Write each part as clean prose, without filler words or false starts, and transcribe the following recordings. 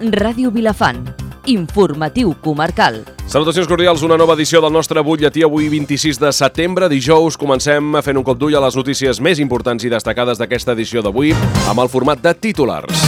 Ràdio Vilafant. Informatiu comarcal. Salutacions cordials, una nova edició del nostre butlletí avui 26 de setembre, dijous. Comencem fent un cop d'ull a les notícies més importants i destacades d'aquesta edició d'avui amb el format de titulars.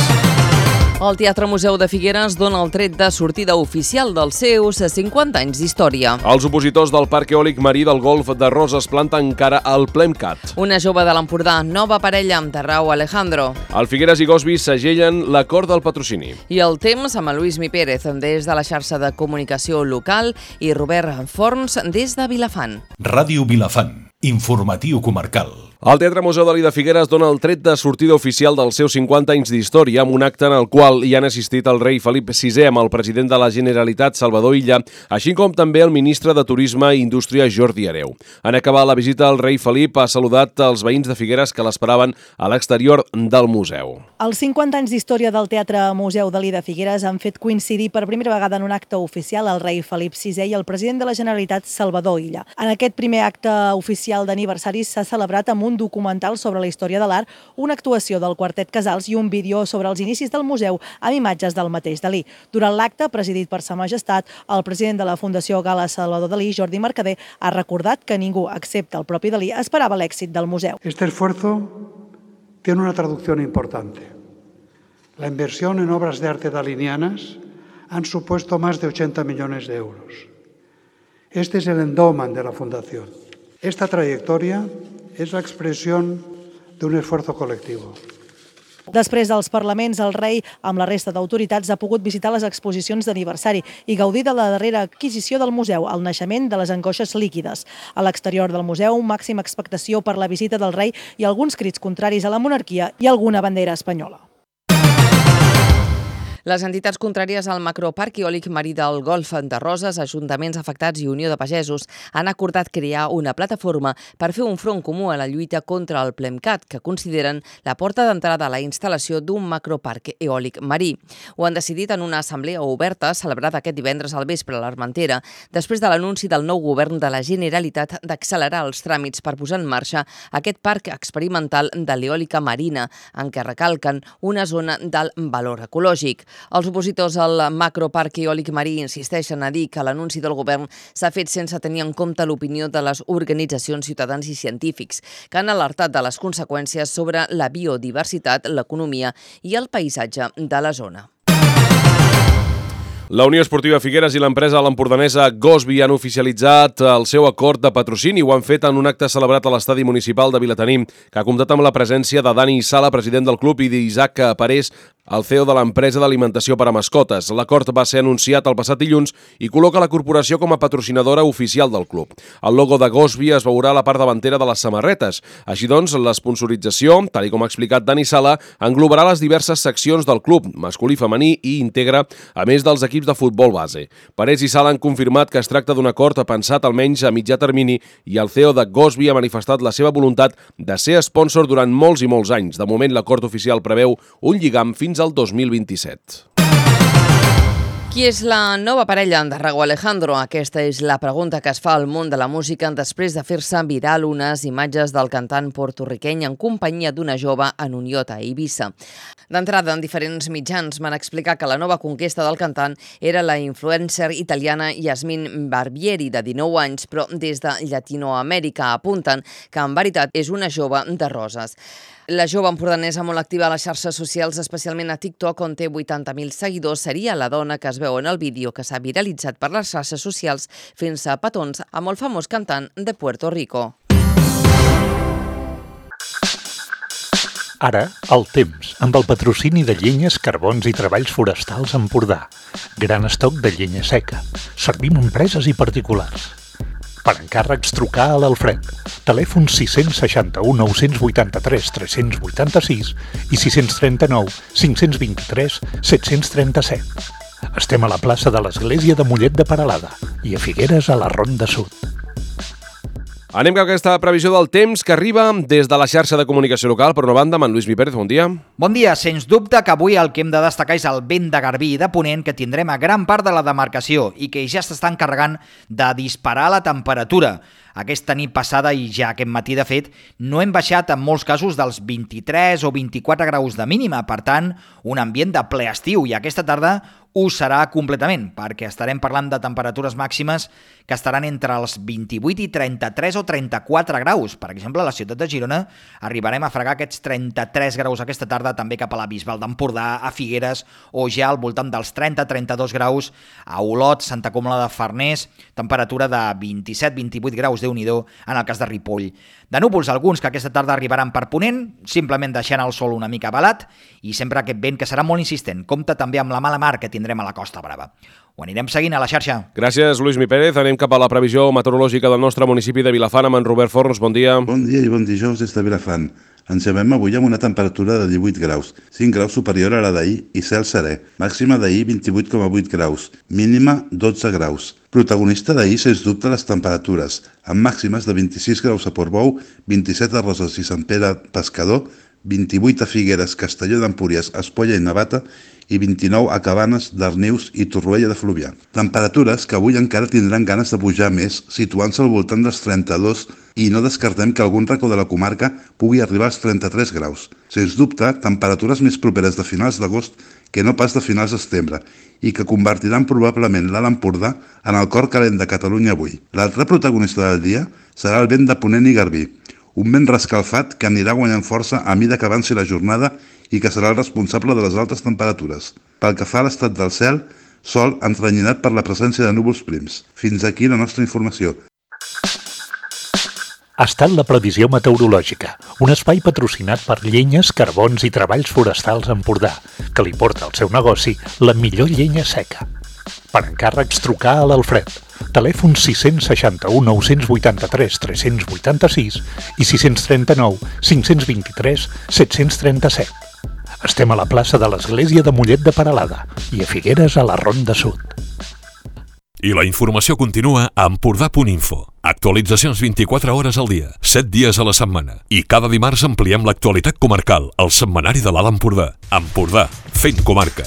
El Teatre Museu de Figueres dona el tret de sortida oficial dels seus 50 anys d'història. Els opositors del Parc Eòlic Marí del Golf de Roses planten cara al PLEMCAT. Una jove de l'Empordà, nova parella amb Rauh Alejandro. El Figueres i Gosby segellen l'acord del patrocini. I el temps amb Luismi Pérez des de la xarxa de comunicació local i Robert Forns des de Vilafant. Ràdio Vilafant. Informatiu comarcal. El Teatre Museu Dalí de Figueres dona el tret de sortida oficial dels seus 50 anys d'història amb un acte en el qual hi han assistit el rei Felip VI amb el president de la Generalitat, Salvador Illa, així com també el ministre de Turisme i Indústria, Jordi Hereu. En acabar la visita, el rei Felip ha saludat els veïns de Figueres que l'esperaven a l'exterior del museu. Els 50 anys d'història del Teatre Museu Dalí de Figueres han fet coincidir per primera vegada en un acte oficial el rei Felip VI i el president de la Generalitat, Salvador Illa. En aquest primer acte oficial d'aniversari s'ha celebrat amb un documental sobre la història de l'art, una actuació del Quartet Casals i un vídeo sobre els inicis del museu amb imatges del mateix Dalí. Durant l'acte, presidit per Sa Majestat, el president de la Fundació Gala Salvador Dalí, Jordi Mercader, ha recordat que ningú, excepte el propi Dalí, esperava l'èxit del museu. Este esfuerzo tiene una traducción importante. La inversión en obras de arte dalinianas han supuesto más de 80 millones de euros. Este es el endowment de la Fundación. Esta trayectoria es la expresión de un esfuerzo colectivo. Després dels parlaments, el rei, amb la resta d'autoritats, ha pogut visitar les exposicions d'aniversari i gaudir de la darrera adquisició del museu, el naixement de les angoixes líquides. A l'exterior del museu, màxima expectació per la visita del rei i alguns crits contraris a la monarquia i alguna bandera espanyola. Les entitats contràries al macroparc eòlic marí del Golf de Roses, ajuntaments afectats i Unió de Pagesos han acordat crear una plataforma per fer un front comú a la lluita contra el PLEMCAT, que consideren la porta d'entrada a la instal·lació d'un macroparc eòlic marí. Ho han decidit en una assemblea oberta celebrada aquest divendres al vespre a l'Armentera, després de l'anunci del nou govern de la Generalitat d'accelerar els tràmits per posar en marxa aquest parc experimental de l'eòlica marina, en què recalquen una zona d'alt valor ecològic. Els opositors al macroparc eòlic marí insisteixen a dir que l'anunci del govern s'ha fet sense tenir en compte l'opinió de les organitzacions ciutadans i científics, que han alertat de les conseqüències sobre la biodiversitat, l'economia i el paisatge de la zona. La Unió Esportiva Figueres i l'empresa l'empordanesa Gosby han oficialitzat el seu acord de patrocini. Ho han fet en un acte celebrat a l'estadi municipal de Vilatenim, que ha comptat amb la presència de Dani Sala, president del club, i d'Isaac Parés, el CEO de l'empresa d'alimentació per a mascotes. L'acord va ser anunciat el passat dilluns i col·loca la corporació com a patrocinadora oficial del club. El logo de Gosby es veurà a la part davantera de les samarretes. Així doncs, l'esponsorització, tal com ha explicat Dani Sala, englobarà les diverses seccions del club, masculí, femení, i integra, a més dels equips de futbol base. Parés i Sala han confirmat que es tracta d'un acord pensat almenys a mitjà termini i el CEO de Gosby ha manifestat la seva voluntat de ser sponsor durant molts i molts anys. De moment, l'acord oficial preveu un lligam fins al 2027. Qui és la nova parella de Rauh Alejandro? Aquesta és la pregunta que es fa al món de la música després de fer-se viral unes imatges del cantant porto-riqueny en companyia d'una jove en un iot a Eivissa. D'entrada, en diferents mitjans van explicar que la nova conquesta del cantant era la influencer italiana Yasmin Barbieri, de 19 anys, però des de Llatinoamèrica apunten que en veritat és una jove de Roses. La jove empordanesa molt activa a les xarxes socials, especialment a TikTok, on té 80.000 seguidors, seria la dona que es veu en el vídeo que s'ha viralitzat per les xarxes socials fent-se petons amb el famós cantant de Puerto Rico. Ara, el temps, amb el patrocini de Llenyes, Carbons i Treballs Forestals Empordà. Gran estoc de llenya seca. Servim empreses i particulars. Per encàrrecs, trucar a l'Alfred. Telèfon 661 983 386 i 639 523 737. Estem a la plaça de l'Església de Mollet de Peralada i a Figueres a la Ronda Sud. Anem cap a aquesta previsió del temps que arriba des de la xarxa de comunicació local. Per una banda, amb en Luismi Pérez, bon dia. Bon dia. Sens dubte que avui el que hem de destacar és el vent de garbí i de ponent que tindrem a gran part de la demarcació i que ja s'està encarregant de disparar la temperatura. aquesta nit passada i ja aquest matí, de fet, no hem baixat en molts casos dels 23 o 24 graus de mínima, per tant, un ambient de ple estiu, i aquesta tarda ho serà completament, perquè estarem parlant de temperatures màximes que estaran entre els 28 i 33 o 34 graus. Per exemple, a la ciutat de Girona arribarem a fregar aquests 33 graus aquesta tarda, també cap a la Bisbal d'Empordà, a Figueres, o ja al voltant dels 30-32 graus a Olot, Santa Comla de Farners, temperatura de 27-28 graus, Déu-n'hi-do, en el cas de Ripoll. De núvols, alguns que aquesta tarda arribaran per ponent, simplement deixant el sol una mica balat, i sempre aquest vent que serà molt insistent. Compte també amb la mala mar que tindrem a la Costa Brava. Ho anirem seguint a la xarxa. Gràcies, Lluís Mi Pérez. Anem cap a la previsió meteorològica del nostre municipi de Vilafant amb en Robert Forns. Bon dia. Bon dia i bon dijous des de Vilafant. Ens llevem avui amb una temperatura de 18 graus, 5 graus superior a la d'ahir i cel serè. Màxima d'ahir 28,8 graus, mínima 12 graus. Protagonista d'ahir, sens dubte, les temperatures, amb màximes de 26 graus a Portbou, 27 a Roses i Sant Pere Pescador, 28 a Figueres, Castelló d'Empúries, Espolla i Navata i 29 a Cabanes, Darnius i Torroella de Fluvià. Temperatures que avui encara tindran ganes de pujar més, situant-se al voltant dels 32 i no descartem que algun racó de la comarca pugui arribar als 33 graus. Sens dubte, temperatures més properes de finals d'agost que no pas de finals de setembre i que convertiran probablement l'Alt Empordà en el cor calent de Catalunya avui. L'altre protagonista del dia serà el vent de Ponent i Garbí, un vent rescalfat que anirà guanyant força a mida que avanci la jornada i que serà el responsable de les altes temperatures. Pel que fa a l'estat del cel, sol entrenyinat per la presència de núvols prims. Fins aquí la nostra informació. Ha estat la previsió meteorològica, un espai patrocinat per Llenyes, Carbons i Treballs Forestals Empordà, que li porta al seu negoci la millor llenya seca. Per encàrrecs, trucar a l'Alfred. Telèfon 661 983 386 i 639 523 737. Estem a la plaça de l'Església de Mollet de Peralada i a Figueres a la Ronda Sud. I la informació continua a Empordà.info. Actualitzacions 24 hores al dia, 7 dies a la setmana. I cada dimarts ampliem l'actualitat comarcal al setmanari de l'Alt Empordà. Empordà, fent comarca.